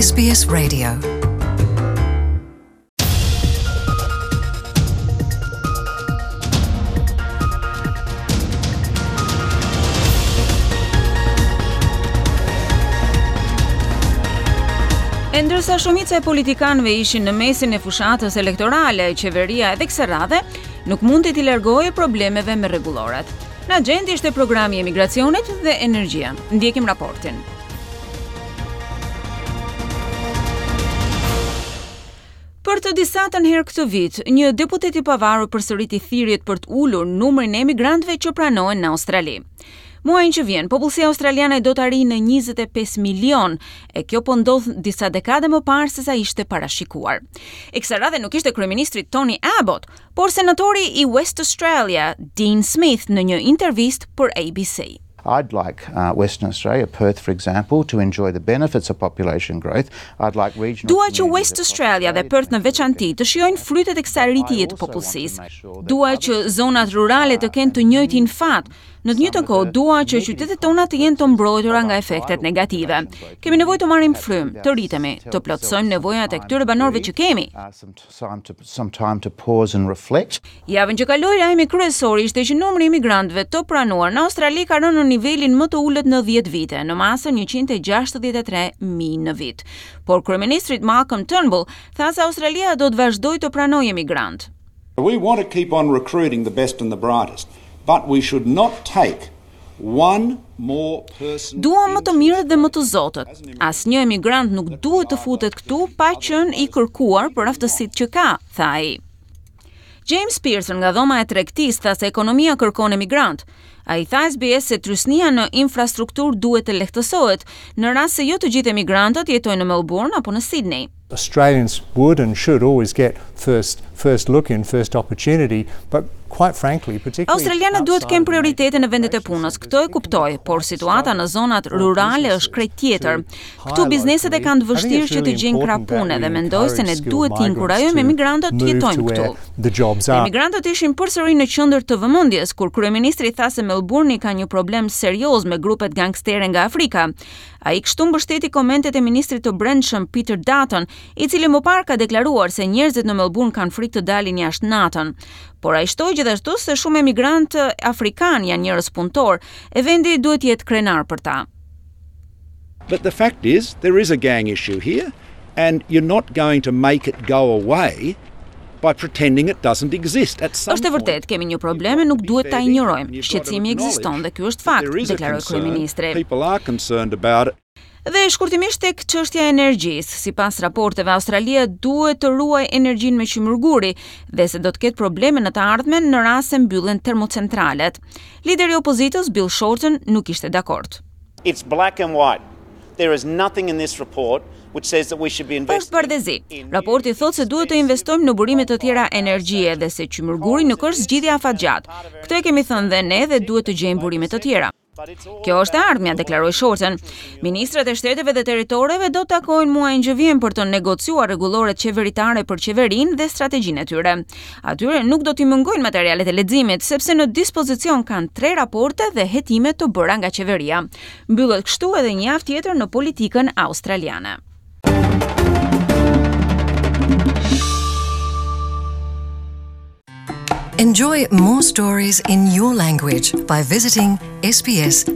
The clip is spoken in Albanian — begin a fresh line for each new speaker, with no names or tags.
SBS Radio.
E ndërsa shumica e politikanëve ishin në mesin e fushatës elektorale, qeveria edhe kësaj radhe nuk mundi t'i largohej problemeve me rregulloret. Në agjendë ishte programi i emigracionit dhe energjia. Ndjekim raportin. Për të disatën herë këtë vit, një deputet i pavarur përsëriti thirrjet për të ulur numrin e emigrantëve që pranohen në Australi. Muajin që vjen, popullsia australiane do të arrijë në 25 milion, e kjo po ndodh disa dekade më parë se sa ishte parashikuar. E kësaj radhe nuk ishte kryeministri Tony Abbott, por senatori i West Australia, Dean Smith në një intervistë për ABC.
I'd like uh, Western Australia, Perth for example, to enjoy the benefits of population growth. I'd like regional
Dua që West Australia dhe Perth në veçanti të shijojnë frytet e kësaj rritjeje të popullsisë. Dua që zonat rurale të kenë të njëjtin fat. Në të njëjtën kohë, dua që qytetet tona të jenë të mbrojtura nga efektet negative. Kemi nevojë të marrim frymë, të rritemi, të plotësojmë nevojat e këtyre banorëve që kemi. Javën që kaloi, lajmi kryesor ishte që numri i emigrantëve të pranuar në Australi ka rënë në nivelin më të ulët në 10 vite, në masën 163.000 në vit. Por kryeministri Malcolm Turnbull tha se Australia do të vazhdojë të pranojë emigrantë.
We want to keep on recruiting the best and the brightest, but we should not take one more person
Duam më të mirët dhe më të zotët. Asnjë emigrant nuk duhet të futet këtu pa qenë i kërkuar për aftësitë që ka, tha ai. James Pearson nga dhoma e tregtisë tha se ekonomia kërkon emigrantë. Ai tha SBS se trysnia në infrastrukturë duhet të lehtësohet, në rast se jo të gjithë emigrantët jetojnë në Melbourne apo në Sydney.
Australians would and should always get first first look in, first opportunity, but quite frankly, particularly
Australianët duhet të kenë prioritete në vendet e punës, këtë e kuptoj, por situata në zonat rurale është krejt tjetër. Këtu bizneset e kanë të vështirë që të gjejnë krah pune dhe mendoj se ne duhet të inkurajojmë emigrantët të jetojnë këtu. Emigrantët ishin përsëri në qendër të vëmendjes kur kryeministri tha se Melbourne ka një problem serioz me grupet gangstere nga Afrika. Ai kështu mbështeti komentet e ministrit të Brendshëm Peter Dutton, i cili më parë ka deklaruar se njerëzit në Melbourne kanë frikë të dalin jashtë natën. Por ai shtoi gjithashtu se shumë emigrantë afrikanë janë njerëz punëtorë, e vendi duhet të jetë krenar për ta.
But the fact is there is a gang issue here and you're not going to make it go away by pretending it doesn't exist. At some
Është e vërtetë, kemi një problem e nuk duhet ta injorojmë. Shqetësimi ekziston dhe ky është fakt, deklaroi kryeministri.
People are concerned about it.
Dhe shkurtimisht tek çështja e energjisë, sipas raporteve Australia duhet të ruajë energjinë me qymyrguri dhe se do të ketë probleme në të ardhmen në rast se mbyllen termocentralet. Lideri i opozitës Bill Shorten nuk ishte dakord.
It's black and white. There is nothing in this report which says that we should be investing.
Është bardhezi. Raporti thotë se duhet të investojmë në burime të tjera energjie dhe se qymyrguri nuk është zgjidhja afatgjatë. Këtë e kemi thënë dhe ne dhe duhet të gjejmë burime të tjera. Kjo është e ardhmja, deklaroi Shorten. Ministrat e shteteve dhe territoreve do të takohen muajin që vjen për të negociuar rregulloret qeveritare për qeverinë dhe strategjinë e tyre. Atyre nuk do t'i mungojnë materialet e leximit, sepse në dispozicion kanë tre raporte dhe hetime të bëra nga qeveria. Mbyllet kështu edhe një javë tjetër në politikën australiane.
Enjoy more stories in your language by visiting sbs.com.au.